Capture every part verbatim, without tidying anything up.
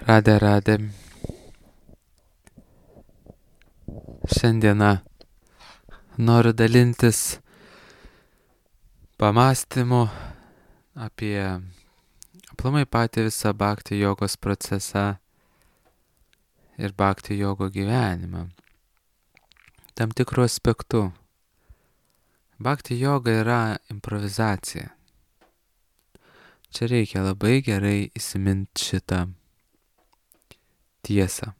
Radė, radė. Šiandieną noriu dalintis pamastymu apie aplamai patį visą bhakti jogos procesą ir bhakti jogo gyvenimą. Tam tikrų aspektų. Bhakti joga yra improvizacija. Čia reikia labai gerai įsiminti šitą tiesą.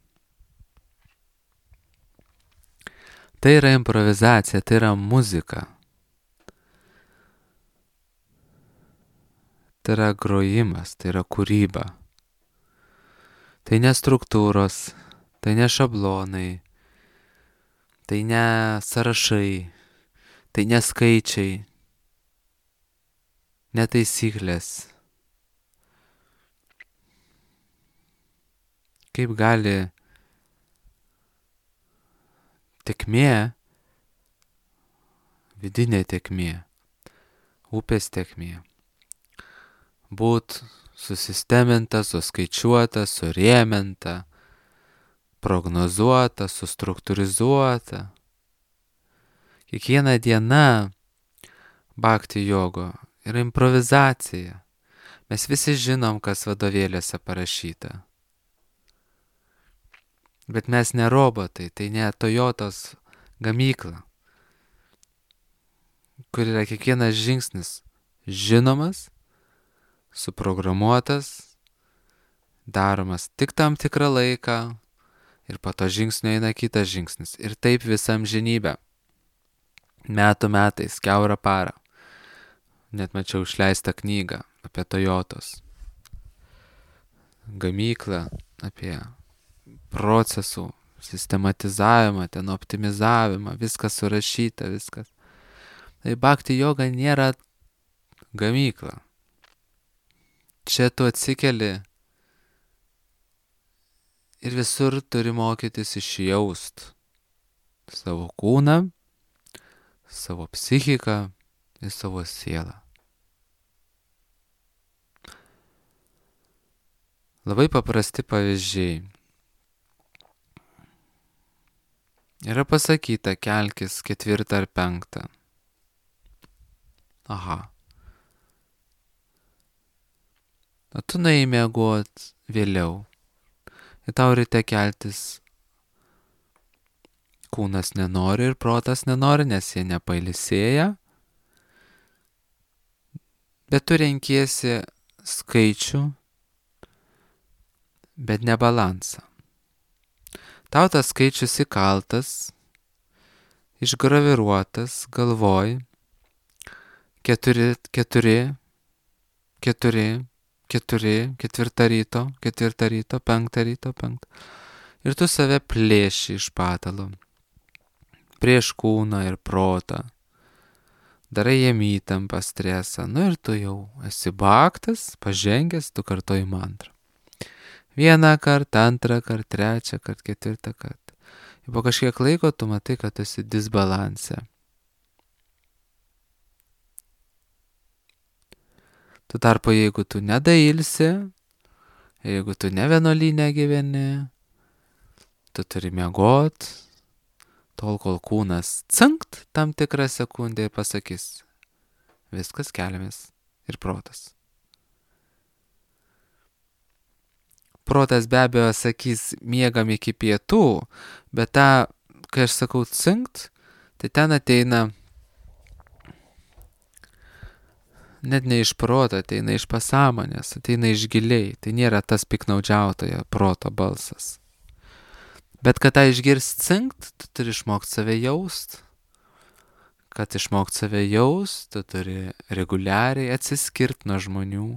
Tai yra improvizacija, tai yra muzika. Tai yra grojimas, tai yra kūryba. Tai ne struktūros, tai ne šablonai, tai ne sąrašai, tai ne skaičiai, ne taisyklės. Kaip gali tėkmė, vidinė tėkmė, upės tėkmė, būt susisteminta, suskaičiuota, surėminta, prognozuota, sustruktūrizuota. Kiekviena diena bhakti jogo yra improvizacija. Mes visi žinom, kas vadovėliuose parašyta. Bet mes ne robotai, tai ne Toyotos gamykla, kur yra kiekvienas žingsnis žinomas, suprogramuotas, daromas tik tam tikrą laiką ir po to žingsnio eina kitas žingsnis. Ir taip visam žinybę. Metų metais, kiaurą parą. Net mačiau išleistą knygą apie Toyotos gamyklą, apie procesų sistematizavimą, ten optimizavimą, viskas surašyta, viskas. Tai bhakti joga nėra gamykla. Čia tu atsikeli ir visur turi mokytis išjaust savo kūną, savo psichiką ir savo sielą. Labai paprasti pavyzdžiai. Yra pasakyta, kelkis ketvirtą ar penktą. Aha. O tu nuėjai miegot vėliau. Ir tau ryte keltis kūnas nenori ir protas nenori, nes jie nepailsėja. Bet tu renkiesi skaičių, bet ne balansą. Tau tas skaičius įkaltas, išgraviruotas galvoj, keturi, keturi, keturi, keturi, ketvirtą ryto, ketvirtą ryto, penktą ryto, penktą. Ir tu save plėši iš patalo, prieš kūną ir protą. Darai jiem įtampą, stresą, nu ir tu jau esi bhaktas, pažengęs, tu kartoji mantrą. Vieną kartą, antrą kartą, trečią kartą, ketvirtą kartą. Ir po kažkiek laiko tu matai, kad esi disbalanse. Tu tarpu, jeigu tu nedailsi, jeigu tu ne vienuolyne gyveni, tu turi miegot, tol kol kūnas cinkt tam tikrą sekundę ir pasakys, viskas keliamės ir protas. Protas be abejo sakys, miegam iki pietų, bet tą, kai aš sakau cinkt, tai ten ateina net ne iš proto, ateina iš pasąmonės, ateina iš giliai. Tai nėra tas piknaudžiautojo proto balsas. Bet kad tą išgirst cinkt, tu turi išmokti save jaust. Kad išmokti save jaust, tu turi reguliariai atsiskirti nuo žmonių.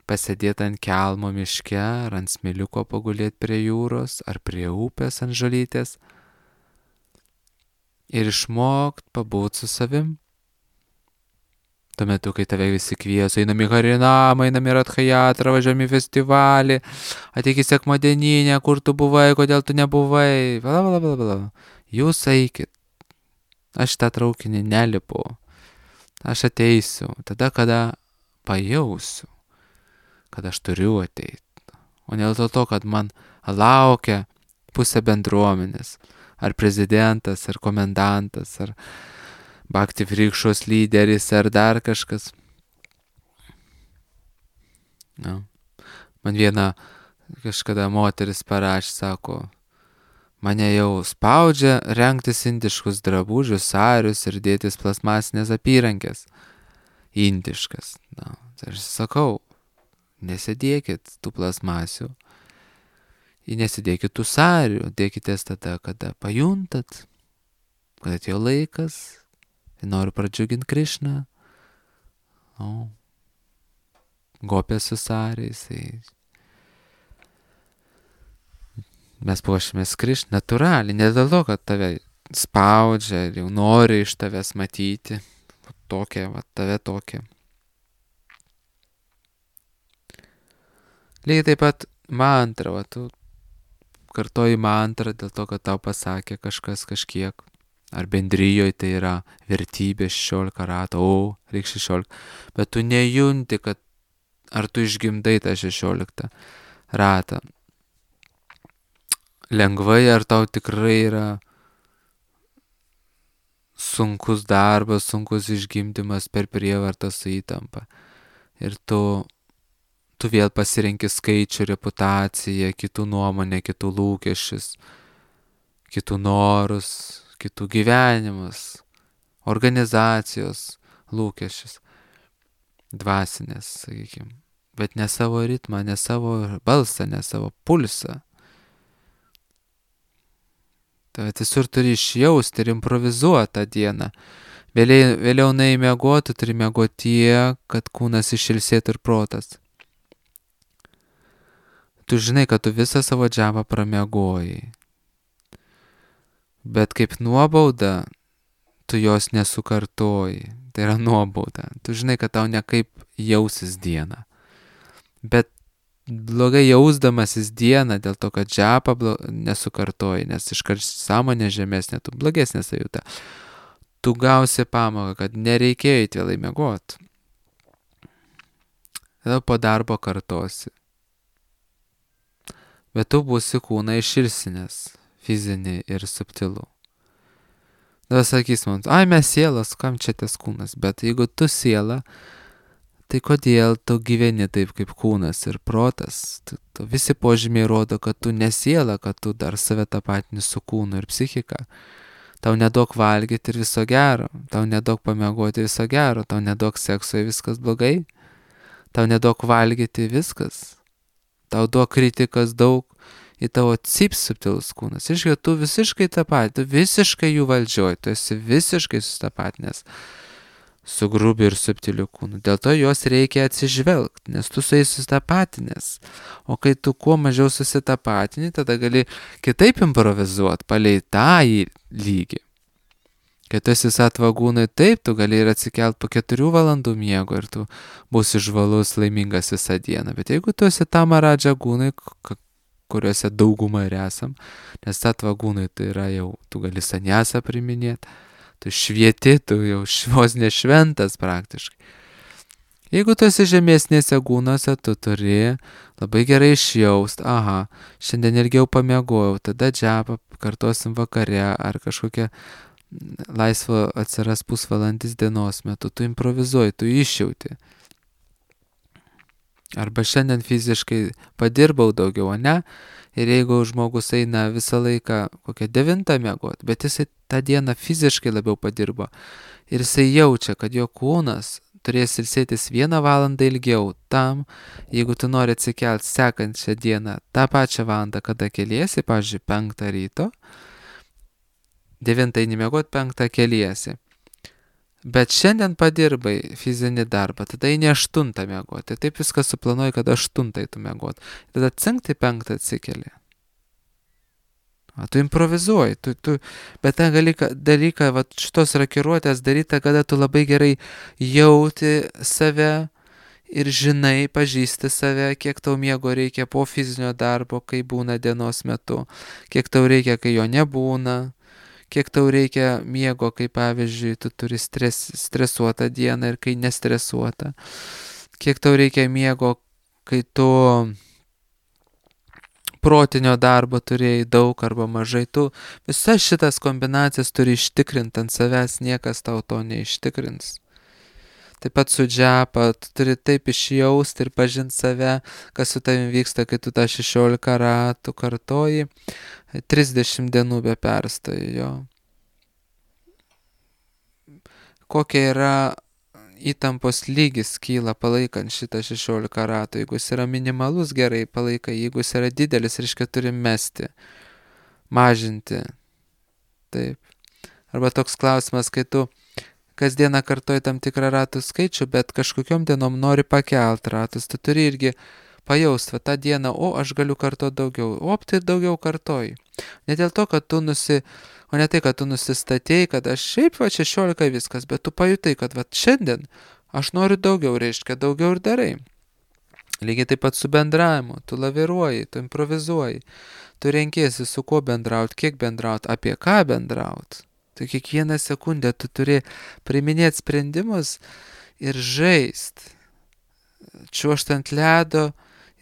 Pasėdėti ant kelmo miške, ar ant smėliuko pagulėti prie jūros, ar prie upės ant žolytės. Ir išmokti pabūti su savim. Tuo metu, kai tave visi kvies, einam į Harinamą, einam į Radhajatrą, važiuojam į festivalį, ateik į sekmadieninę, kur tu buvai, kodėl tu nebuvai, bla bla bla bla. Jūs eikit. Aš tą traukinį nelipu. Aš ateisiu tada, kada pajausiu, kad aš turiu ateiti. o ne dėl to, kad man laukia pusė bendruomenės, ar prezidentas, ar komendantas, ar Bhakti Vrikšos lyderis, ar dar kažkas. Na. Man viena kažkada moteris parašė, sako, mane jau spaudžia rengtis indiškus drabužius, sarius ir dėtis plasmasinės apyrankės. Indiškas. Na, tai aš sakau, nesidėkit tų plasmasių. Ir nesidėkit tų sarių, dėkitės tada, kada pajuntat, kad atėjo laikas, ir noriu pradžiuginti Krišną. O, gopė su sariais. Tai mes puošimės Krišną natūraliai, ne dėl to, kad tave spaudžia ir jau nori iš tavęs matyti. Tokia, va, tave tokia. Lygiai taip pat mantra, va, tu kartoji mantrą dėl to, kad tau pasakė kažkas kažkiek. Ar bendrijoje tai yra vertybė šešiolika ratų, o, reikia šešiolika. Bet tu nejunti, kad ar tu išgimdai tą šešioliktą ratą. Lengvai, ar tau tikrai yra sunkus darbas, sunkus išgimdymas per prievartą su įtampa. Ir tu, tu vėl pasirenki skaičių, reputaciją, kitų nuomonę, kitų lūkesčius, kitų norus, kitų gyvenimus, organizacijos lūkesčius, dvasinės, sakykime. Bet ne savo ritmą, ne savo balsą, ne savo pulsą. Tai visur turi išjausti ir improvizuoti tą dieną. Vėliau, vėliau neįmiegoti, turi miegoti tiek, kad kūnas išilsėtų ir protas. Tu žinai, kad tu visą savo džapą pramiegojai. Bet kaip nuobauda, tu jos nesukartoji. Tai yra nuobauda. Tu žinai, kad tau nekaip jausis dieną. Bet blogai jausdamasis dieną dėl to, kad džapą blo... nesukartoji, nes iškart sąmonė žemesnė, tu blogesnė sajuta. Tu gausi pamoką, kad nereikėjo eiti vėlai miegoti. Tada po darbo kartosi. Bet tu būsi kūną išilsinęs, fizinį ir subtilų. Tada sakys man, ai mes sielas, kam čia tas kūnas, bet jeigu tu siela, tai kodėl tu gyveni taip kaip kūnas ir protas? Tu, tu, visi požymiai rodo, kad tu nesiela, kad tu dar save tapatini su kūnu ir psichika. Tau nedaug valgyti ir viso gero, tau nedaug pamiegoti viso gero, tau nedaug sekso ir viskas blogai, tau nedaug valgyti viskas, tau daug kritikas daug į tavo cip subtilus kūnas. Iškai, tu visiškai tapatini, tu visiškai jų valdžioj, tu esi visiškai sustapatinęs su grubiu ir subtiliu kūnu. Dėl to juos reikia atsižvelgti, nes tu su jais susitapatinės. O kai tu kuo mažiau susitapatini, tada gali kitaip improvizuoti, palei tą lygį. Kai tu esi satvagūnai, taip, tu gali ir atsikelt po keturių valandų miego ir tu būsi žvalus, laimingas visą dieną. Bet jeigu tu esi tamaradža gūnai, kuriuose daugumą ir esam, nes satvagūnai tai yra jau, tu gali saniasą priminėti, tu švieti, tu jau vos nešventas praktiškai. Jeigu tu esi žemesnėse gūnose, tu turi labai gerai išjaust, aha, šiandien ilgiau pamiegojau, tada džapą kartosim vakare ar kažkokia laisvo atsiras pusvalandis dienos metu, tu improvizuoji, tu išjauti. Arba šiandien fiziškai padirbau daugiau, o ne? Ir jeigu žmogus eina visą laiką kokią devintą miegoti, bet jisai tą dieną fiziškai labiau padirbo ir jisai jaučia, kad jo kūnas turės ilsėtis vieną valandą ilgiau tam, jeigu tu nori atsikelti sekančią dieną tą pačią valandą, kada keliesi, pavyzdžiui, penktą ryto, devintą eini miegoti, penktą keliesi. Bet šiandien padirbai fizinį darbą, tada eini aštuntą miegoti. Taip viską suplanuoji, kad aštuntą eitų miegoti. Tada cinktai penktą atsikeli. A, tu improvizuoji, tu, tu, bet tą dalyką, dalyką va, šitos rakiruotės daryti, kada tu labai gerai jauti save ir žinai, pažįsti save, kiek tau miego reikia po fizinio darbo, kai būna dienos metu, kiek tau reikia, kai jo nebūna. Kiek tau reikia miego, kai pavyzdžiui, tu turi stres, stresuotą dieną ir kai nestresuotą. Kiek tau reikia miego, kai tu protinio darbo turėjai daug arba mažai, tu visas šitas kombinacijas turi ištikrinti, ant savęs niekas tau to neištikrins. Taip pat su džiapa, tu turi taip išjausti ir pažinti save, kas su tavim vyksta, kai tu tą šešiolika ratų kartoji, trisdešimt dienų be perstojo. Jo. Kokia yra įtampos lygis kyla palaikant šitą šešiolika ratų. Jeigu jis yra minimalus, gerai palaikai. Jeigu jis yra didelis, reiškia turi mesti, mažinti. Taip. Arba toks klausimas, kai tu kasdieną kartoji tam tikrą ratų skaičių, bet kažkokiom dienom nori pakelt ratus. Tu turi irgi pajausti, va tą dieną, o aš galiu kartoti daugiau. O tai daugiau kartoji. Ne dėl to, kad tu nusi... O ne tai, kad tu nusistatėjai, kad aš šiaip va šešiolika viskas, bet tu pajutai, kad va šiandien aš noriu daugiau, reiškia daugiau ir darai. Lygiai taip pat su bendravimu, tu laviruoji, tu improvizuoji, tu renkiesi su kuo bendrauti, kiek bendrauti, apie ką bendrauti. Tai kiekvieną sekundę tu turi priiminėti sprendimus ir žaist, čiuožt ant ledo,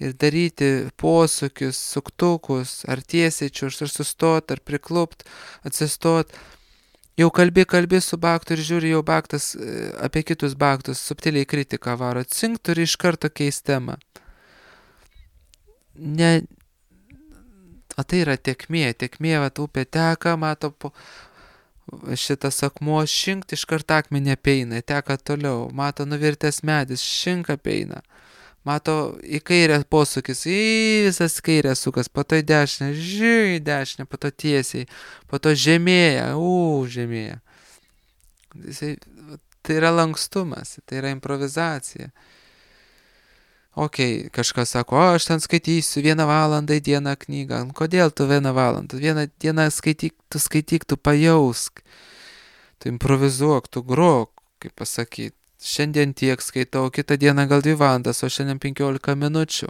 ir daryti posūkius, suktukus, ar tiesiai čiuožt, ar sustot, ar priklupt, atsistot. Jau kalbi, kalbi su baktu ir žiūri, jau baktas apie kitus baktus, subtiliai kritiką varo. Cink, turi iš karto keisti temą. Ne, o tai yra tekmė, tekmė, va, upė teka, mato po šitas akmuo, šinkt, iš karto akmenį apeina, teka toliau, mato nuvirtęs medis, šink apeina. Mato į kairę posūkis, į visas kairę sukas, po to į dešinę, žiūrė į dešinę, po to tiesiai, po to žemėja, u, žemėja. Tai yra lankstumas, tai yra improvizacija. Ok, kažkas sako, o aš ten skaitysiu vieną valandą į dieną knygą. Kodėl tu vieną valandą? Vieną dieną skaityk, tu skaityk, tu pajausk, tu improvizuok, tu grok, kaip pasakyti. Šiandien tiek skaitau, kitą dieną gal dvi valandas, o šiandien penkiolika minučių.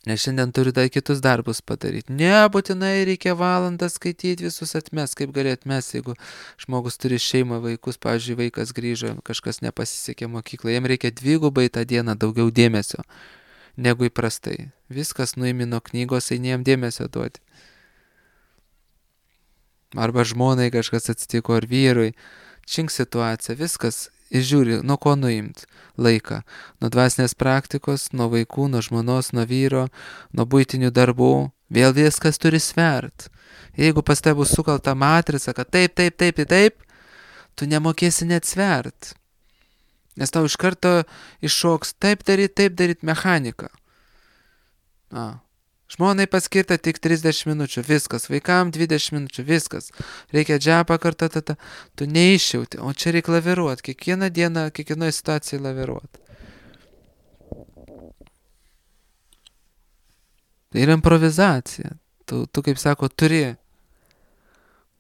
Nes šiandien turiu dar kitus darbus padaryti. Nebūtinai reikia valandą skaityti, visus atmes, kaip gali atmes, jeigu žmogus turi šeimą, vaikus, pavyzdžiui, vaikas grįžo, kažkas nepasisekė mokyklą, jam reikia dvigubai tą dieną daugiau dėmesio negu įprastai. Viskas nuimi nuo knygos, eini jam dėmesio duoti. Arba žmonai kažkas atsitiko, ar vyrui. Čink situacija, viskas, ir žiūri, nuo ko nuimt laiką. Nuo dvasinės praktikos, nuo vaikų, nuo žmonos, nuo vyro, nuo buitinių darbų. Vėl viskas turi svert. Jeigu pas tai bus sukalta matrica, kad taip, taip, taip, taip, tu nemokėsi net svert. Nes tau iš karto iššoks taip daryt, taip daryt mechanika. A. Žmonai paskirta tik trisdešimt minučių, viskas, vaikam dvidešimt minučių, viskas. Reikia džiapą kartą, tata, tu neišjauti, o čia reikia laviruoti, kiekvieną dieną, kiekvienoje situacijoje laviruoti. Tai yra improvizacija. Tu, tu kaip sako, turi,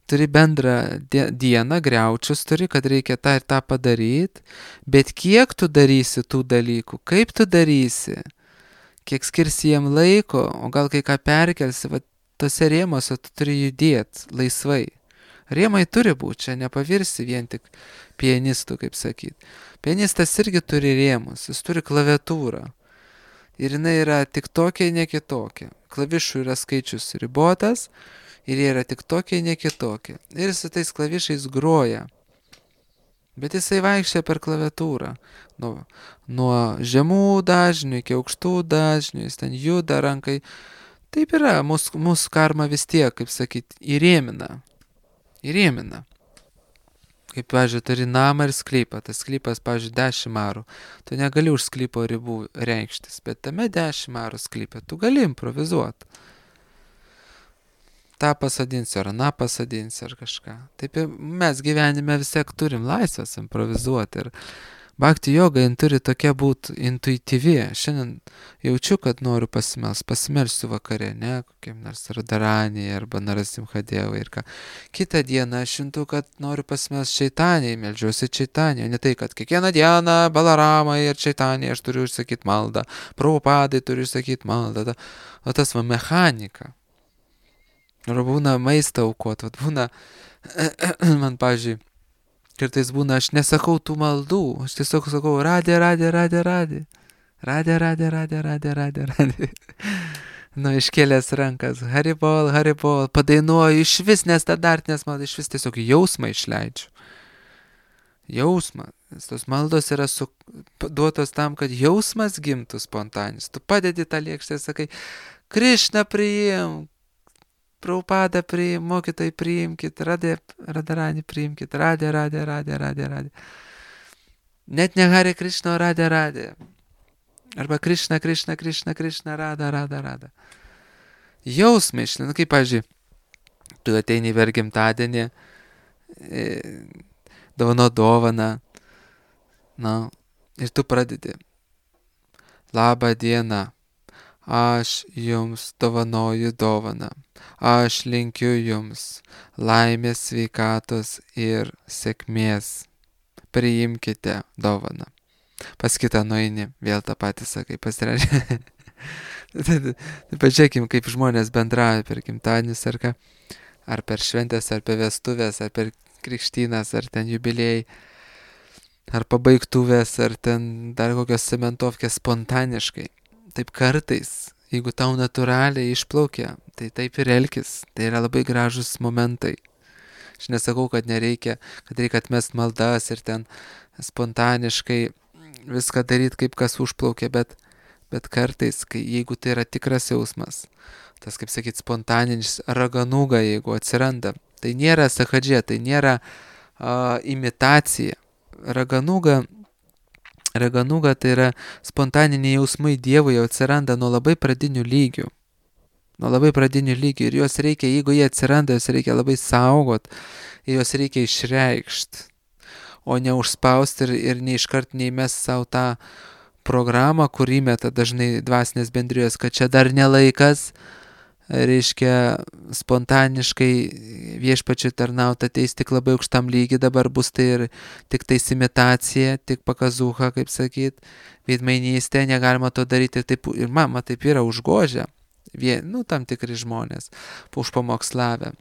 turi bendrą dieną, griaučius turi, kad reikia tą ir tą padaryti, bet kiek tu darysi tų dalykų, kaip tu darysi, kiek skirsi jiem laiko, o gal kai ką perkelsi, va, tose rėmose tu turi judėti laisvai. Rėmai turi būti, čia nepavirsi vien tik pianistų, kaip sakyti. Pianistas irgi turi rėmus, jis turi klaviatūrą. Ir jinai yra tik tokia, ne kitokia. Klavišų yra skaičius ribotas ir jie yra tik tokia, ne kitokia. Ir su tais klavišais groja. Bet jisai vaikščia per klaviatūrą. Nuo, nuo žemų dažnių iki aukštų dažnių, jis ten juda rankai. Taip yra, mūsų, mūsų karma vis tiek, kaip sakyti, įrėmina. Įrėmina. Kaip, pavyzdžiui, turi namą ir sklypą. Tas sklypas, pavyzdžiui, dešimt arų. Tu negali už sklypo ribų reikštis, bet tame dešimt arų sklype tu gali improvizuoti. tą pasodinsiu, ar aną pasodinsiu, ar kažką. Taip mes gyvenime vis tiek turim laisvės improvizuoti. Ir bhakti joga jin turi tokia būti intuityvi. Šiandien jaučiu, kad noriu pasimels, pasimelsiu vakare, ne, kokiam nors Radharanijai arba Narasimhadevai ir ką. Kitą dieną aš juntu, kad noriu pasimelsti Čaitanijai, meldžiuosi Čaitanijai. Ne tai, kad kiekvieną dieną Balaramai ir Čaitanijai aš turiu išsakyti maldą, Prabhupadai turiu išsakyti maldą. O tas va mechanika. Ir būna maistą aukot, vat būna, man, pavyzdžiui, kartais būna, aš nesakau tų maldų, aš tiesiog sakau, radė, radė, radė, radė, radė, radė, radė, radė, radė, radė, Nu, iškėlęs rankas, haribol, haribol, padainuoju iš vis nestandartinės maldas, iš vis tiesiog jausmą išleidžiu. Jausmą. Nes tos maldos yra su, duotos tam, kad jausmas gimtų spontaninis. Tu padedi tą lėkštę ir sakai, Krišna priimk, Prabhupada priimk, mokytojai priimkit, radė, radarani priimkit, radė, radė, radė, radė, radė. Net ne Hare Krishna, radė, radė. Arba Krišna, Krišna, Krišna, Krišna, rada, rada, rada. Jausmai išlina, kaip, pavyzdžiui, tu ateini per gimtadienį, e, dovano dovaną, na, ir tu pradedi. Labą dieną, aš jums dovanoju dovaną, aš linkiu jums laimės, sveikatos ir sėkmės. Priimkite dovaną. Pas kitą nueini, vėl tą patį sakai, pasirašė. Pažiūrėkim, kaip žmonės bendrauja per gimtadienius ar ką, ar per šventės, ar per vestuvės, ar per krikštynas, ar ten jubiliejai, ar pabaigtuvės, ar ten dar kokios cementovkės spontaniškai. Taip kartais, jeigu tau natūraliai išplaukia, tai taip ir elkis. Tai yra labai gražus momentai. Aš nesakau, kad nereikia, kad reikia atmest maldas ir ten spontaniškai viską daryti, kaip kas užplaukia, bet, bet kartais, kai, jeigu tai yra tikras jausmas, tas, kaip sakyt, spontaninis raganuga, jeigu atsiranda, tai nėra sahadžė, tai nėra uh, imitacija. Raganuga, raganuga tai yra spontaniniai jausmai Dievui jau atsiranda nuo labai pradinių lygių. Nuo labai pradinių lygių ir juos reikia, jeigu jie atsiranda, juos reikia labai saugot, juos reikia išreikšti, o ne užspausti ir, ir neiškart neįmes savo tą programą, kur įmeta dažnai dvasinės bendrijos, kad čia dar nelaikas, reiškia spontaniškai viešpačiui tarnauti ateis tik labai aukštam lygiai, dabar bus tai ir tik tai imitacija, tik pakazuha, kaip sakyt, veidmainystė, negalima to daryti ir taip, ir mama taip yra užgožę. Vien, nu, tam tikri žmonės, užpamokslavę.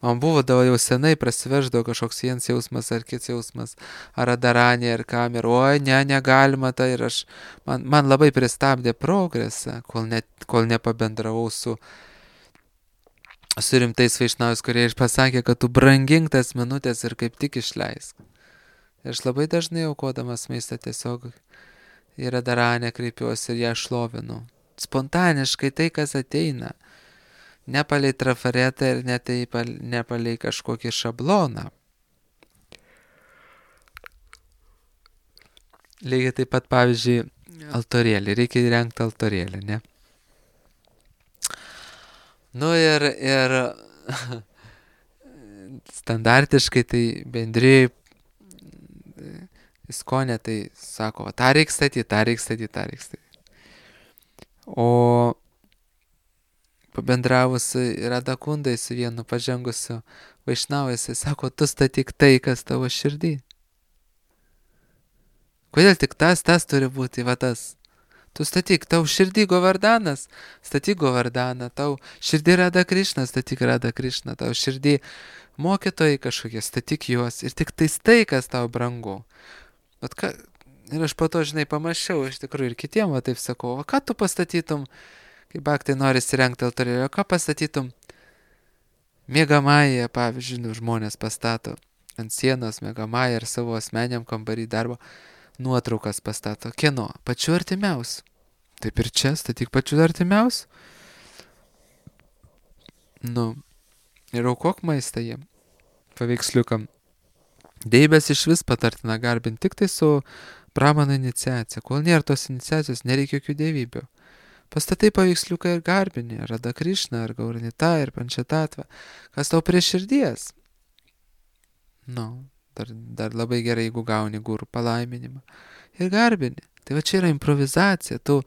Man buvo jau senai prasiveždavo kažkoks vienas jausmas ar kits jausmas, ar adaranė, ar kam, ir oi, ne, negalima tai, ir aš, man, man labai pristabdė progresą, kol, ne, kol nepabendravau su, su rimtais vaišnavais, kurie pasakė, kad tu brangink tas minutės ir kaip tik išleisk. Ir aš labai dažnai aukodamas maistą tiesiog į adaranę kreipiuosi ir ją šlovinu. Spontaniškai tai, kas ateina, ne palei trafaretą ir ne, tai, ne palei kažkokį šabloną. Lygiai taip pat, pavyzdžiui, altorėlį, reikia įrengti altorėlį, ne? Nu ir, ir standartiškai tai bendrijai iskonė, tai sako, tą reikia statyti, tą reikia statyti, tą reikia statyti. O pabendravus Radakundai su vienu pažengusiu vaišnau, jisai sako, tu statyk tai, kas tavo širdį. Kodėl tik tas, tas turi būti, va tas? Tu statyk, tau širdį Govardanas, statyk Govardaną, tau širdį Rada Krišna, statyk Rada Krišna, tau širdį mokytojai kažkokie, statyk juos ir tik tais tai, kas tau brangu. Bet ką... Ir aš po to, žinai, pamačiau, iš tikrųjų ir kitiem, va taip sakau, o ką tu pastatytum, kai baktai nori įsirengti altorėlį, o ką pastatytum miegamąją, pavyzdžiui, nu, žmonės pastato ant sienos miegamąją ir savo asmeniam kambarį darbo nuotraukas pastato. Kieno? Pačiu artimiausiu. Taip ir čia, statyk pačiu artimiausiu. Nu, ir aukok maistą jiem, paveiksliukam. Deibės iš vis patartina garbinti tik tai su Brahmano iniciacija. Kol nėra tos iniciacijos, nereikia jokių dievybių. Pastatai paveiksliuką ir garbinį, Rada Krišna, ar Gauranita, ir Pančatatva. Kas tau prie širdies? Nu, dar, dar labai gerai, jeigu gauni gurų palaiminimą. Ir garbinį. Tai va čia yra improvizacija. Tu,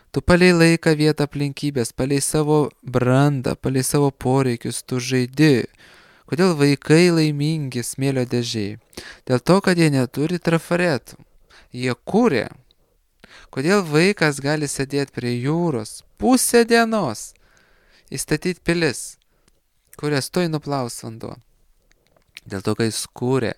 tu palei laiką, vietą, aplinkybės, palei savo brandą, palei savo poreikius, tu žaidi. Kodėl vaikai laimingi smėlio dėžiai? Dėl to, kad jie neturi trafaretų. Jie kūrė. Kodėl vaikas gali sėdėti prie jūros pusę dienos, įstatyti pilis, kurias toj nuplaus vanduo? Dėl to, kai jis kūrė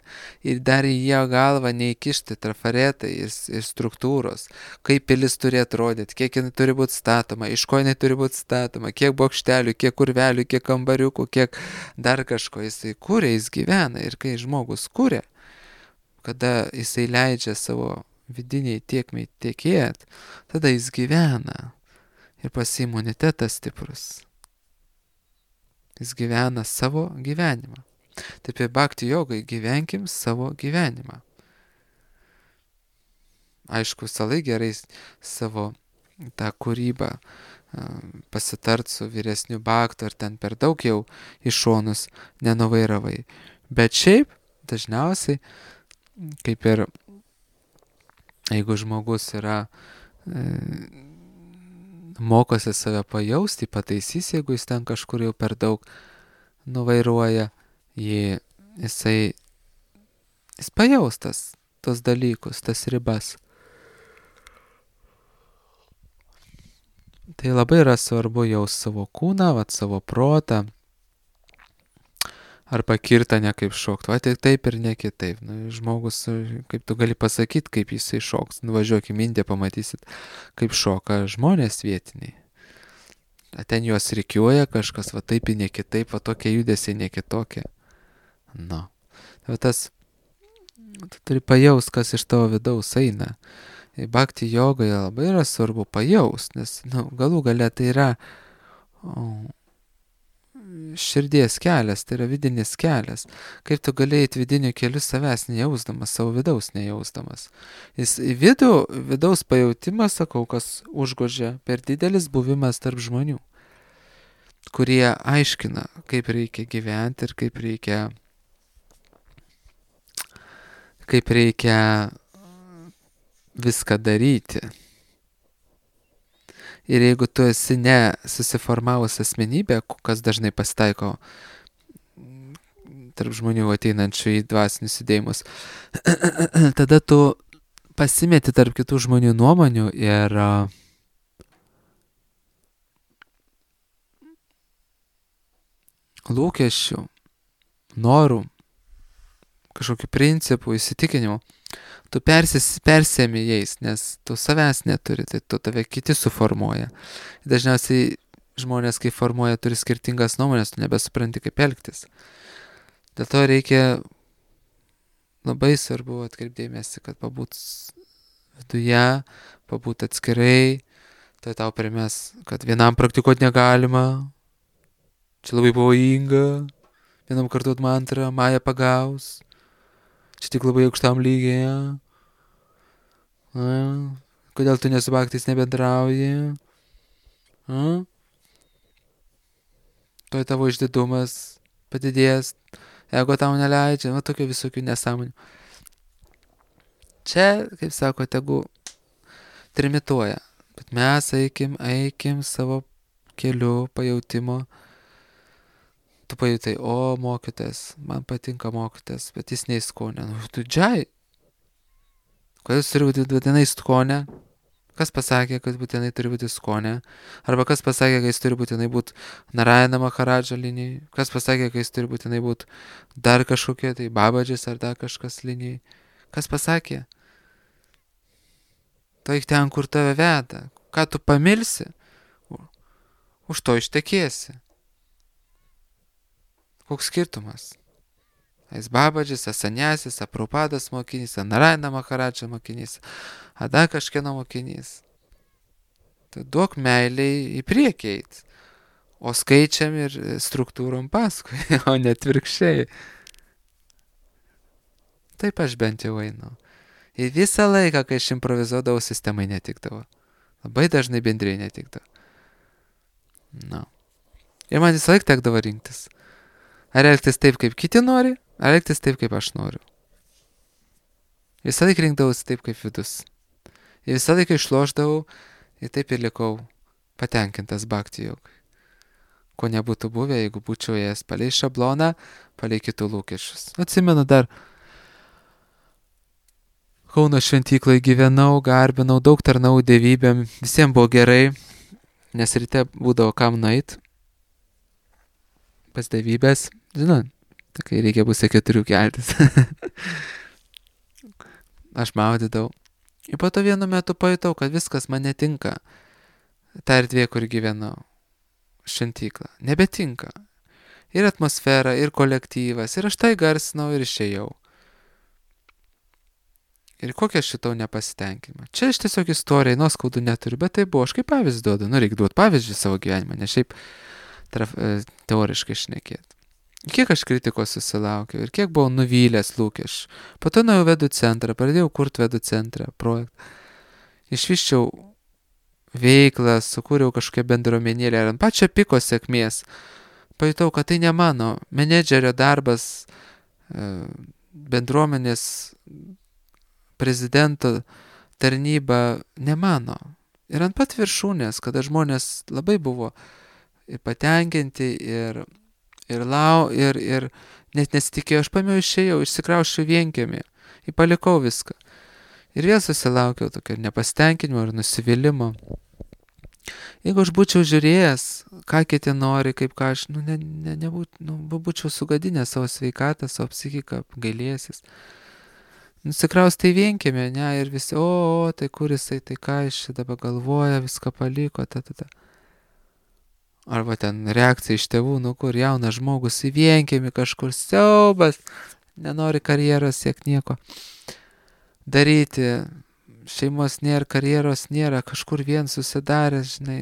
ir dar į jo galvą neįkišti trafaretai ir, ir struktūros, kaip pilis turi atrodyti, kiek jinai turi būti statoma, iš ko jinai turi būti statoma, kiek bokštelių, kiek urvelių, kiek kambariukų, kiek dar kažko jisai kūrė, jis gyvena. Ir kai žmogus kūrė, kada jisai leidžia savo vidiniai tiekmei tiekėt, tada jis gyvena ir pas imunitetas stiprus. Jis gyvena savo gyvenimą. Taip ir bhakti jogai gyvenkim savo gyvenimą. Aišku, salai gerai savo tą kūrybą pasitart su vyresniu bhaktu, ar ten per daug jau į šonus nenuvairavai. Bet šiaip dažniausiai, kaip ir jeigu žmogus yra e, mokosi save pajausti, pataisys, jeigu jis ten kažkur jau per daug nuvairuoja, jį, jisai, jis pajaustas tos dalykus, tas ribas. Tai labai yra svarbu jaust savo kūną, vat, savo protą, arba kirtą ne kaip šokt, va tik taip ir ne kitaip. Nu, žmogus, kaip tu gali pasakyti, kaip jisai šoks, nuvažiuok į Indiją, pamatysit, kaip šoka žmonės vietiniai. Ten juos rikiuoja kažkas, va taip ir ne kitaip, va tokie judesiai ne kitokie. Nu. Tai tas, tu turi pajaust, kas iš tavo vidaus eina. Bhakti jogoje labai yra svarbu pajaust, nes nu, galų gale tai yra o, širdies kelias, tai yra vidinis kelias. Kaip tu galėjai vidiniu keliu savęs nejausdamas, savo vidaus nejausdamas. Jis į vidų, vidaus pajautimas, sakau, kas užgožia per didelis buvimas tarp žmonių, kurie aiškina, kaip reikia gyventi ir kaip reikia kaip reikia viską daryti. Ir jeigu tu esi ne susiformavus asmenybė, kas dažnai pasitaiko tarp žmonių ateinančių į dvasinius judėjimus, tada tu pasimeti tarp kitų žmonių nuomonių ir lūkesčių, norų, kažkokių principų, įsitikinimų, tu persis, persėmi jais, nes tu savęs neturi, tai tu tave kiti suformuoja. Dažniausiai žmonės, kai formuoja, turi skirtingas nuomonės, tu nebesupranti, kaip elgtis. Dėl to reikia labai svarbu atkreipdėmėsi, kad pabūt viduje, pabūt atskirai, tai tau primės, kad vienam praktikuoti negalima, čia labai pavojinga, vienam kartuot mantrą, Maja pagaus. Čia tik labai aukštam lygyje. A, kodėl tu nesu bhaktais nebendrauji? A? Tuoj tavo išdidumas padidės, ego tau neleidžia, va tokių visokių nesąmonių. Čia, kaip sako, tegu trimituoja, bet mes eikim, eikim savo keliu pajautimo. Tu pajutai, o mokytas, man patinka mokytas, bet jis neįskonė. Nu, tu džiai. Kodėl jis turi būti būtinai skonė? Kas pasakė, kad būtinai turi būti skonė? Arba kas pasakė, kad jis turi būtinai būti Narayana Maharadža linijai? Kas pasakė, kad jis turi būtinai būti dar kažkokie, tai Babadžis ar dar kažkas linijai? Kas pasakė? Tai ten, kur tave veda. Ką tu pamilsi, už to ištekėsi. Koks skirtumas? Ais Babadžis, Asanjasis, Prabhupadas mokinys, Narayana Maharadža mokinys, ar dar kažkieno mokinys. Tai duok meiliai į priekį eit, o skaičiam ir struktūrom paskui, o net virkščiai. Taip aš bent jau einu. Ir visą laiką, kai aš improvizuodavau, sistemai netikdavo. Labai dažnai bendriai netikdavo. Na. Ir man visą laiką tekdavo rinktis. Ar elgtis taip, kaip kiti nori, ar elgtis taip, kaip aš noriu. Visą laiką rinkdavausi taip, kaip vidus. Ir visą laiką išlošdavau ir taip ir likau patenkintas bhakti jogai. Ko nebūtų buvę, jeigu būčiau ėjęs palei šabloną, palei kitų lūkesčius. Atsimenu dar Kauno šventykloje gyvenau, garbinau, daug tarnau dievybėm, visiems buvo gerai, nes ryte būdavo kam nueit pas dievybės. Žinot, kai reikia pusę keturių keltis. Aš maudydavau. Ir po to vienu metu pajutau, kad viskas man netinka. Ta erdvė, kur gyvenau. Šventykla. Nebetinka. Ir atmosfera, ir kolektyvas. Ir aš tai garsinau ir išėjau. Ir kokią aš šitau nepasitenkinimą. Čia aš tiesiog istorijai nuoskaudų neturiu, bet tai buvo, aš kaip pavyzdį duodu. Nu, reikia duoti pavyzdžių savo gyvenimą, ne šiaip traf, teoriškai šnekėti. Kiek aš kritikos susilaukiau ir kiek buvau nuvylęs lūkesčių. Po to nuėjau vedų centrą, pradėjau kurti vedų centrą projektą. Išvyščiau veiklą, sukūriau kažkokią bendruomenėlę ir ant pačio piko sėkmės. Pajutau, kad tai ne mano menedžerio darbas, bendruomenės prezidento tarnyba ne mano. Ir ant pat viršūnės, kada žmonės labai buvo ir patenkinti ir Ir lau, ir, ir net nesitikėjau, aš pamiau išėjau, išsikrauščiau vienkiemį, ir palikau viską. Ir vėl susilaukiau tokio nepasitenkinimo ir nusivylimo. Jeigu aš būčiau žiūrėjęs, ką kiti nori, kaip ką aš, nu, ne, ne, nebūt, nu, būčiau sugadinęs savo sveikatą, savo psichiką, gailėsis. Nusikraustai vienkiemį, ne, ir visi, o, o, tai kur jisai, tai ką jis čia dabar galvoja, viską paliko, ta, ta, ta. Arba ten reakcija iš tėvų, nu kur jaunas žmogus į vienkiemį kažkur siaubas, nenori karjeros siekti nieko daryti, šeimos nėra, karjeros nėra, kažkur vien susidaręs, žinai,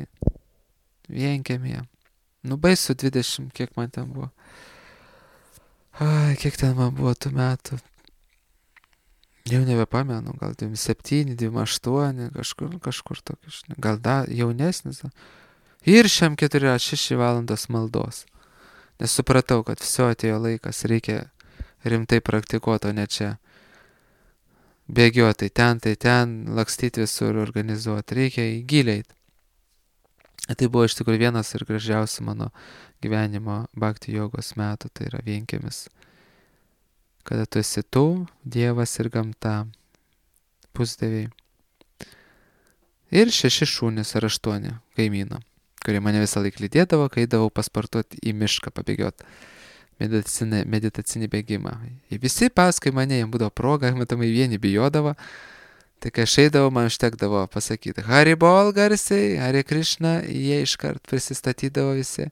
vienkiemėje. Nu baisu dvidešimt, kiek man ten buvo. Ai, kiek ten man buvo tų metų. Jau nebepamenu, gal dvidešimt septyni, dvidešimt aštuoni, kažkur, kažkur tokį, žinai, gal da, jaunesnis. Ir šiam keturi šeši valandos maldos. Nes supratau, kad viso atėjo laikas, reikia rimtai praktikuoti, o ne čia bėgioti, ten, tai ten, lakstyti visur, organizuoti. Reikia į giliai. Tai buvo iš tikrųjų vienas ir gražiausių mano gyvenimo bhakti jogos metų, tai yra vienkiemis. Kada tu esi tu, Dievas ir gamta, pusdieviai. Ir šeši šunys ar aštuoni kaimyno, kurie mane visą laiką lydėdavo, kai eidavau pasportuoti į mišką, pabėgioti meditacinį, meditacinį bėgimą. Ir visi paskui mane, jiems būdavo proga, matomai vieni bijodavo, tai kai aš eidavau, man užtekdavo pasakyti Haribol garsiai, Hare Krishna, jie iškart prisistatydavo visi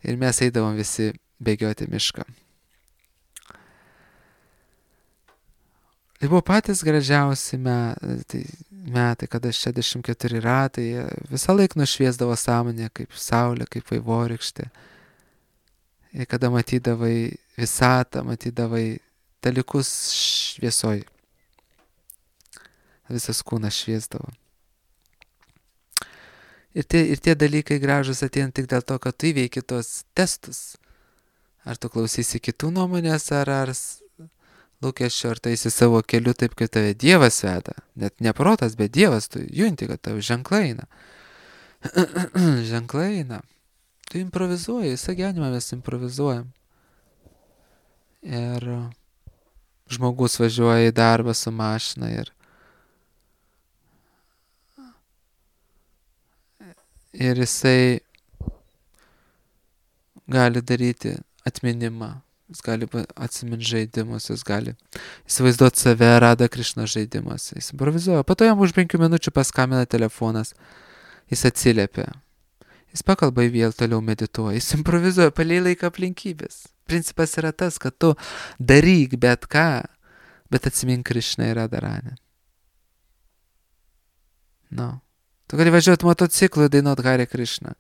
ir mes eidavom visi bėgioti mišką. Tai buvo patys gražiausi metai, metai kada šešiasdešimt keturi ratai visą laiką nušviesdavo sąmonę kaip saulė, kaip vaivorykštė. Ir kada matydavai visatą, matydavai dalykus šviesoj. Visas kūnas šviesdavo. Ir tie, ir tie dalykai gražus ateina tik dėl to, kad tu įveiki tos testus. Ar tu klausysi kitų nuomonės, ar ar lūkesčio, ar taisi savo keliu taip, kaip tave Dievas veda. Net ne protas, bet Dievas, tu junti, kad tau ženklai eina. Ženklai eina. Tu improvizuoji, visą gyvenimą mes improvizuojam. Ir žmogus važiuoja į darbą su mašina ir ir jisai gali daryti atminimą. Jis gali atsiminti žaidimus, jis gali įsivaizduoti save Radha Krishna žaidimas. Jis improvizuoja. Po to jam už penkių minučių paskambina telefonas. Jis atsiliepia. Jis pakalba į vėl toliau medituoja. Jis improvizuoja palei laiką aplinkybės. Principas yra tas, kad tu daryk bet ką, bet atsimink Krishna ir Radharani. No. Tu gali važiuoti motociklu ir dainuoti Hare Krishna.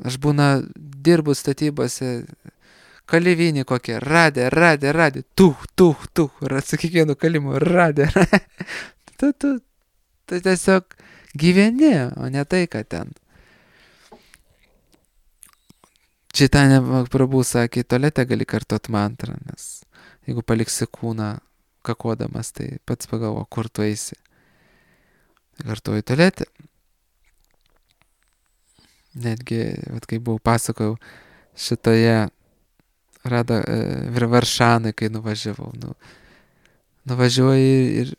Aš būna dirbu statybose, kalivinį kokią, radė, radė, radė, tuh, tuh, tuh, ir su kiekvienu kalimu, radė, radė. Tu, tu, tu tiesiog gyveni, o ne tai, kad ten. Čitanya Prabhu sakė, tualete gali kartot mantrą, nes jeigu paliksi kūną kakodamas, tai pats pagalvo, kur tu eisi. Kartuoju tualete. Netgi, vat, kai buvau pasakojau šitoje Rada Varšanai, kai nuvažiavau. Nu, nuvažiuoju ir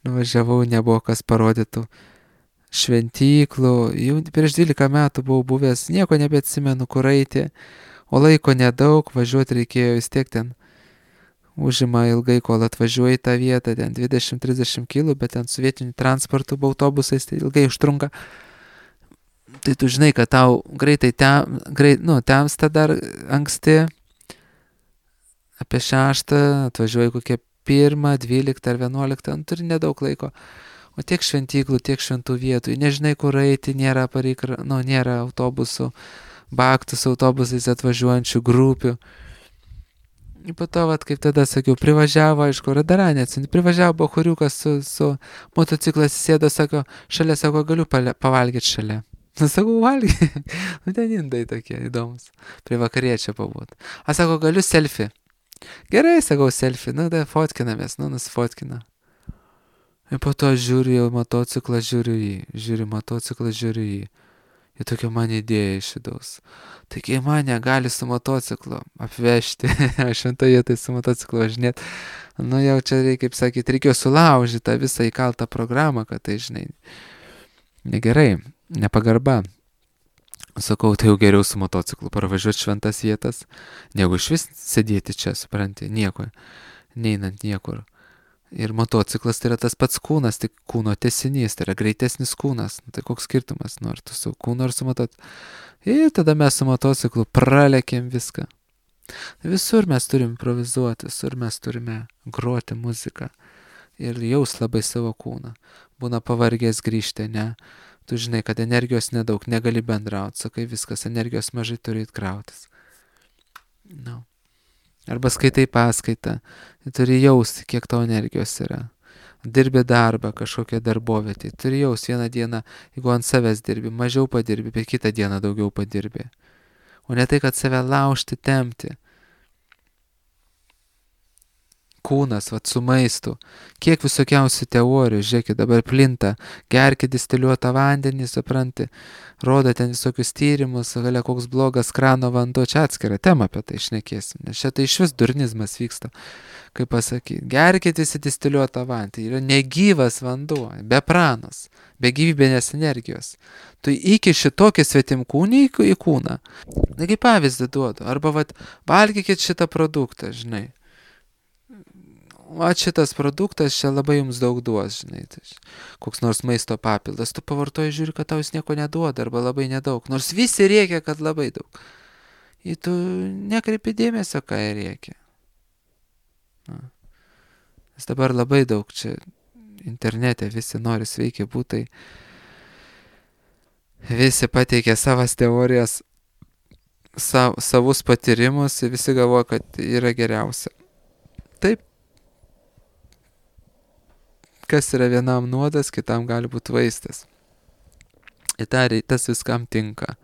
nuvažiavau, nebuvo kas parodytų šventyklų. Jau prieš dvylika metų buvau buvęs, nieko nebeatsimenu, kur eiti. O laiko nedaug, važiuoti reikėjo vis tiek ten. Užima ilgai, kol atvažiuoji į tą vietą, ten dvidešimt trisdešimt kilų, bet ten su vietiniu transportu, autobusais tai ilgai užtrunka. Tai tu žinai, kad tau greitai tem, greit, nu, temsta dar anksti, apie šeštą, atvažiuoji kokie pirmą, dvyliktą ar vienuoliktą, nu, turi nedaug laiko. O tiek šventyklų, tiek šventų vietų, nežinai, kur eiti, nėra pareik, nu, nėra autobusų, baktus autobusais atvažiuojančių grupių. Ir po to, vat, kaip tada sakiau, privažiavo, aišku, radaranė atsinti, privažiavo bohuriukas su, su motociklas, sėdo, sako, šalia, sako, galiu pale, pavalgyti šalia. Nu, sakau, valgy. Nu, ten indai tokie įdomus. Prie vakariečio pabūt. A, sako, galiu selfie. Gerai, sakau, selfie. Nu, da, fotkinamės, nu, nusfotkina. Ir po to žiūriu jau motociklą, žiūriu jį. Žiūriu motociklą, žiūriu jį. Ir tokia man idėja iš vidaus. Taigi mane gali su motociklu apvežti, aš šventoje vietoje su motociklu važinėt. Nu jau čia reikia, kaip sakyti, reikėjo sulaužyti tą visą įkaltą programą, kad tai, žinai, negerai, nepagarba. Sakau, tai jau geriau su motociklu parvažiuoti šventas vietas, negu iš vis sėdėti čia, supranti, nieko, neinant niekur. Ir motociklas tai yra tas pats kūnas, tik kūno tęsinys, tai yra greitesnis kūnas. Tai koks skirtumas, nu ar tu su kūnu ar su motociklu. Ir tada mes su motociklu pralekėm viską. Visur mes turim improvizuoti, visur mes turime groti muziką. Ir jaus labai savo kūną. Būna pavargęs grįžti, ne? Tu žinai, kad energijos nedaug, negali bendrauti, sakai viskas, energijos mažai turi įkrautis. No. Arba skaitai paskaitą, turi jausti, kiek tau energijos yra. Dirbi darbą, kažkokią darbovietį, turi jausti vieną dieną, jeigu ant savęs dirbi, mažiau padirbi, bet kitą dieną daugiau padirbi. O ne tai, kad save laužti, tempti. Kūnas, vat su maistu. Kiek visokiausių teorijų, žiūrėkit, dabar plinta, gerkit distiliuotą vandenį, supranti, rodo ten visokius tyrimus, galia koks blogas krano vanduo, čia atskira tema apie tai šnekėsim, nes čia tai iš vis durnizmas vyksta, kaip pasakyti, gerkit visi distiliuotą vandenį, tai yra negyvas vanduo, be pranos, be gyvybinės energijos. Tu įkiši tokį svetimkūnį į kūną, na kaip pavyzdį duodu, arba vat, valgykit šitą produktą, žinai. O šitas produktas čia labai jums daug duos, žinai, tai koks nors maisto papildas, tu pavartoji, žiūri, kad tau jis nieko neduoda, arba labai nedaug, nors visi rėkia, kad labai daug. Ir tu nekreipi dėmesio, ką jie rėkia. Na. Nes dabar labai daug čia internete, visi nori sveiki būtai, visi pateikia savas teorijas, sav, savus patyrimus ir visi galvoja, kad yra geriausia. Taip. Kas yra vienam nuodas, kitam gali būti vaistas. Ir tas viskam tinka.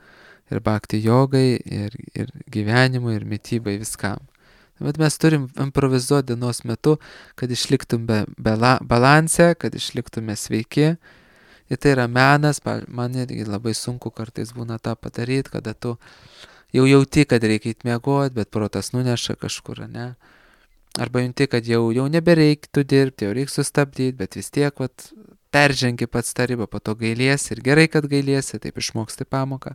Ir bhakti jogai, ir, ir gyvenimui, ir mitybai, viskam. Bet mes turim improvizuoti dienos metu, kad išliktum be, be la, balanse, kad išliktume sveiki. Ir tai yra menas, man irgi labai sunku kartais būna tą padaryti, kada tu jau jauti, kad reikia įtmiegoti, bet protas nuneša kažkur, ne? Arba junti, kad jau, jau nebereiktų dirbti, jau reikia sustabdyti, bet vis tiek vat, peržengi pats tą ribą, po to gailiesi ir gerai, kad gailiesi, taip išmoksti pamoką.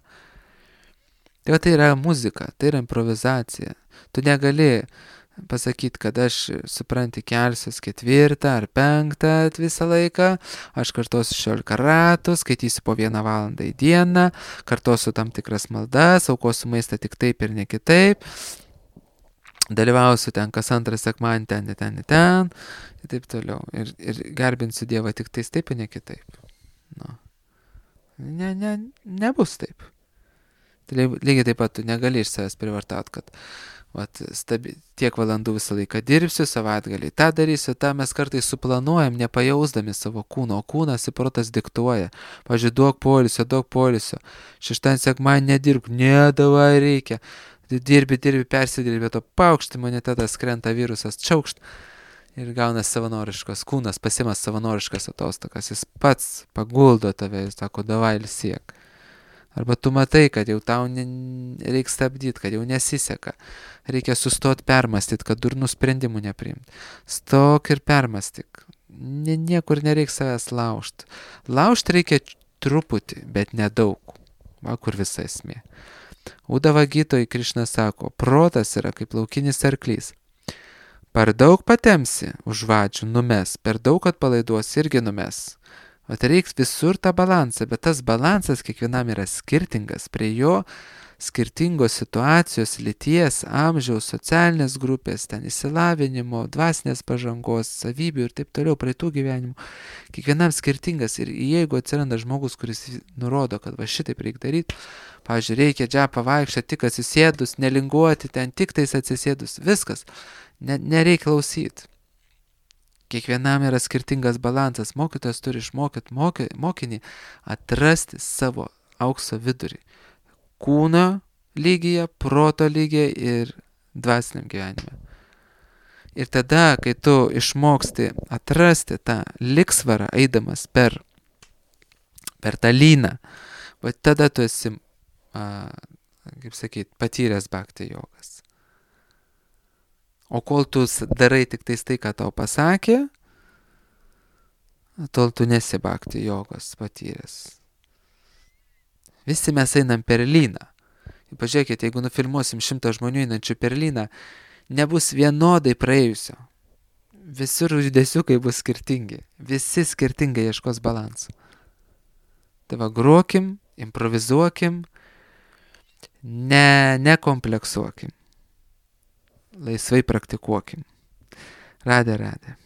Tai, va, tai yra muzika, tai yra improvizacija. Tu negali pasakyti, kad aš, supranti, kelsiuos ketvirtą ar penktą visą laiką, aš kartosiu šešiolika ratų, skaitysiu po vieną valandą į dieną, kartosiu tam tikras maldas, aukosiu maistą tik taip ir ne kitaip. Dalyvausiu ten kas antrą sekmadienį, ten, ten, ten, ir taip toliau. Ir, ir garbinsiu Dievą tik tais taip, ir ne kitaip. Nu. Ne, ne, nebus taip. Tai lygiai taip pat tu negali iš savęs privartauti, kad vat, stabi, tiek valandų visą laiką dirbsiu, savaitgalį tą darysiu, tą mes kartais suplanuojam, nepajausdami savo kūno, o kūnas ir protas diktuoja. Pavyzdžiui, duok poilsio, duok poilsio. Šeštadienį sekmadienį nedirbk, ne, davai reikia. Dirbi, dirbi, persidirbi, to paukšti imunitetas, krenta virusas, čiaukšt ir gauna savanoriškas, kūnas pasimas savanoriškas atostogas, jis pats paguldo tave, jis sako, davai ilsiek. Arba tu matai, kad jau tau ne, reikia stabdyti, kad jau nesiseka, reikia sustoti permastyti, kad durnų sprendimų nepriimti. Stok ir permastyk, nie, niekur nereikia savęs laužti. Laužti reikia truputį, bet nedaug, va kur visa esmė. Udava gytoj Krišna sako, protas yra kaip laukinis arklys. Per daug patemsi už vadžių numes, per daug atpalaiduos irgi numes. O tai reiks visur tą balansą, bet tas balansas kiekvienam yra skirtingas, prie jo skirtingos situacijos, lyties, amžiaus, socialinės grupės, ten išsilavinimo, dvasinės pažangos, savybių ir taip toliau, praeitų gyvenimų. Kiekvienam skirtingas ir jeigu atsiranda žmogus, kuris nurodo, kad va šitaip reikia daryti, pavyzdžiui, reikia džepą vaikščioti tik atsisėdus, nelinguoti ten tik tais atsisėdus, viskas, ne, nereikia klausyti. Kiekvienam yra skirtingas balansas, mokytojas turi išmokyti moky, mokinį atrasti savo aukso vidurį. Kūno lygyje, proto lygyje ir dvasiniam gyvenime. Ir tada, kai tu išmoksti atrasti tą liksvarą, eidamas per, per tą lyną, va tada tu esi, a, kaip sakyt, patyręs bhakti jogas. O kol tu darai tik tais tai, ką tau pasakė, tol tu nesi bhakti jogos patyręs. Visi mes einam per lyną. Pažiūrėkite, jeigu nufilmuosim šimtą žmonių einančių per lyną, nebus vienodai praėjusio. Visur judesiukai bus skirtingi. Visi skirtingai ieškos balansų. Tai va, grokim, improvizuokim, ne, nekompleksuokim. Laisvai praktikuokim. Radė, radė.